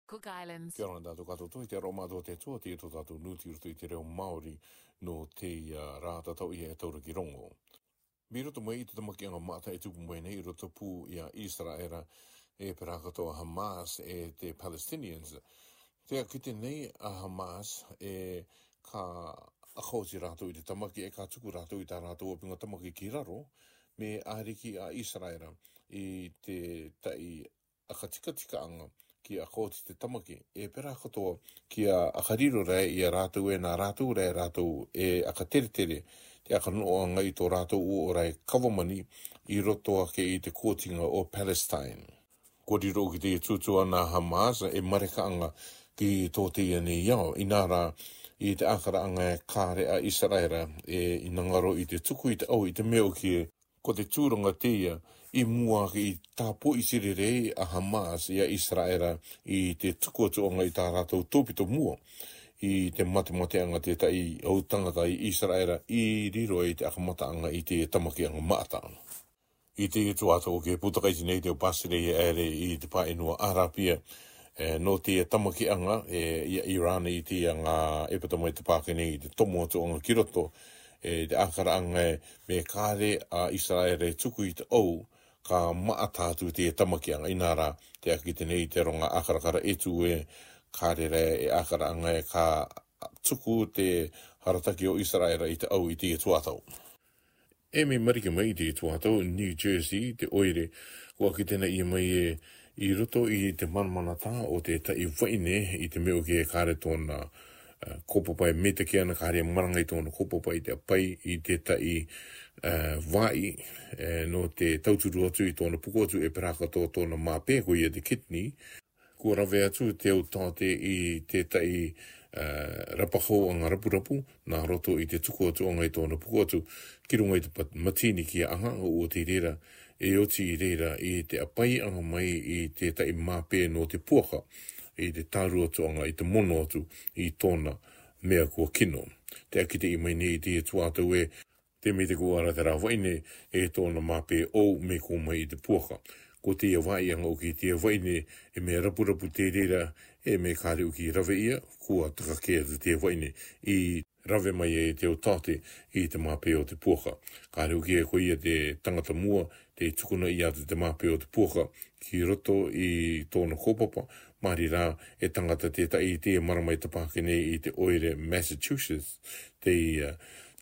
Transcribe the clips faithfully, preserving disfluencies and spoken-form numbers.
Cook Islands. Kia ora tātou katoa, te aroha mātou te Atua, te tō tātou nūti i roto i te reo Māori, nō te, uh, rā tatau ia e taura ki rongo. Mei roto mai i te tamakiʻanga maʻata e tupu mai nei i roto pū ia Isaraela, e pērā katoa Hamas, e te Palestinians. Te akite nei a Hamas, e ka ʻakaoti rātou i te tamaki, e ka tuku rātou i tā rātou ʻāpiʻanga tamaki ki raro, mea ʻariki a Isaraela i te taʻi ʻakatikatikaaʻanga ki ʻakaoti te tamaki, e pērā katoa kia ʻakariro rā ia rātou e nā rātou rā rātou e ʻakateretere, te ʻakanoʻanga i tō rātou ʻōʻōra e kavamani i roto ake i te kōtinga o Palestine. Kua riro ki te tūtū ana Hamas e marekaʻanga ki tō teie nei ao, inā rā i te ʻākaraʻanga e kāre a Isaraela e ina ngaro i te tuku i te ʻau i te mea ʻoku ko te tūranga teie i mua ake i tāpoʻi tirerei a Hamas ia Isaraela i te tuku atu ʻanga i tā rātou tōpito mua i te matemateʻanga te taʻi ʻau tangata i Isaraela i riro i te ʻakamataʻanga i te tamakiʻanga maʻata. I te tuato ke putakaiti nei te pasire ia ere i te pāʻenua Arapia, e, nō te tamakiʻanga, e, ia Iran i te anga e pata mai te pāke nei i te tomo atu ʻanga ki roto, e, te ʻākaraʻanga e mea kāre a Isaraela e tuku i te ʻau, ka maʻata atu te tamakiʻanga inā rā, te akite nei te ronga ʻākarakara e tū e kāre rā e ʻākaraʻanga e ka tuku te harataki o Isaraela i te ʻau i te tuato. E mea mariki mai i te tuato New Jersey, te ʻoire, kua kite nei mai e i roto i te manamanatā o te taʻi vaʻine i te mea ʻoku kāre tōna, e, kōpapa e mitaki ana kāre marangai tōna kōpapa i te ʻapai i te taʻi, e, vāʻi, e, nō te tauturu atu i tōna puko atu e pērā katoa tōna māpē ko ia te kidney, kua rave atu te ʻau tāte i te taʻi, e, rapahou ʻanga rapurapu, nā roto i te tuku atu ʻanga i tōna puko atu, ki runga i te pat-, matini ki a ʻanga o te reira, e oti i reira i te ʻapai ʻanga mai i te taʻi māpē nō te puaka, i te tāru atu ʻanga i te mono atu i tōna mea kua kino. Te akite mai nei i te tuato e, te mea te kua ara te rā vaʻine e tōna māpē ʻau mea kua mai i te puaka. Ko te vāʻi ʻanga ʻoku te vaʻine e mea rapurapu te reira, e mea kāre ʻoku rave ia, kua taka kē atu te vaʻine i rave mai e te ʻau tāte i te māpē o te puaka. Kāre ʻoku e ko ia te tangata mua, te tukuna ia atu te māpē o te puaka, ki roto i tōna kōpapa, māri rā e tangata te taʻi te marama i te pāke nei i te ʻoire Massachusetts, te, e,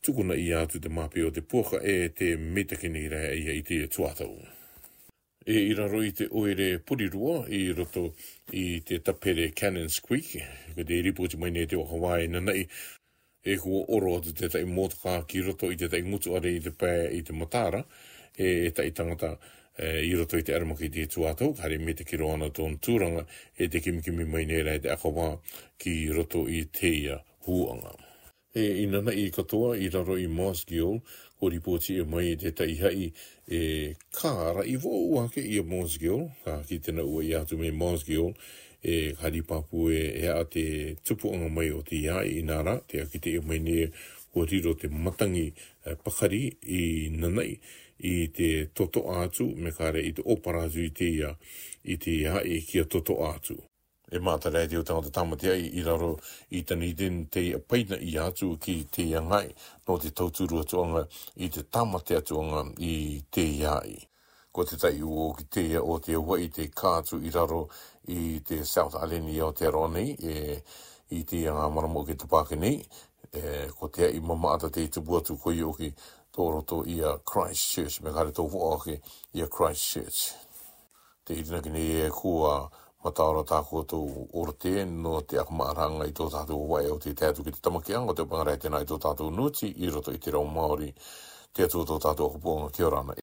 tukuna ia atu te māpē o te puaka e te mitaki nei rā ia i te tuato. E i raro i te ʻoire Porirua i roto i te tapere Cannons Creek, ko te ripoti mai nei te vakavā e nanaʻi, e kua ʻoro atu te taʻi motokā ki roto i te taʻi ngutu are i te pae i te matara, e, e taʻi tangata, e, i roto i te aramaki i te tuato, kāre mitaki roa ana tōna tūranga, e te kimikimi mai nei rā e te akavā ki roto i teie hūʻanga. E, i nanaʻi katoa i raro i Mosgiel, kua ripoti mai te taʻi haʻi, e, ka raʻi vau ake ia Mosgiel, ka kite naua ia atu mei Mosgiel, e, ka ripapū e, e a te tupuʻanga mai o te ia inā rā, te akite mai nei kua riro te matangi, e, pakari i nanaʻi, i te totoʻa atu, mea kāre i te ʻōpara atu i te ia, i te ia e kia totoʻa atu. E maʻata rā e te ʻau tangata tāmate ai i raro i Dunedin te ʻapaina ia atu ki te ia ngāi, nō te tauturu atu ʻanga i te tāmate atu ʻanga i te ia i. Ko te taʻi uo ki te ia o te ua i te kā atu i raro i te South Island i Aotearoa nei, e, i te ia ngā marama ki te pāke nei, e, ko te ia i mamaʻata te tupu atu ko ia ʻoku tō roto ia Christchurch, mea kāre tō voa ake ia Christchurch. Te irinaki nei e kua mataora tā koutou orote nō te akamaʻaranga i tō tātou vaʻe o te tae atu ki te tamakiʻanga o te pangarai tēnā i tō tātou nūti i roto i te reo Māori. Te Atua tō tātou ʻakapuʻanga kia ora na.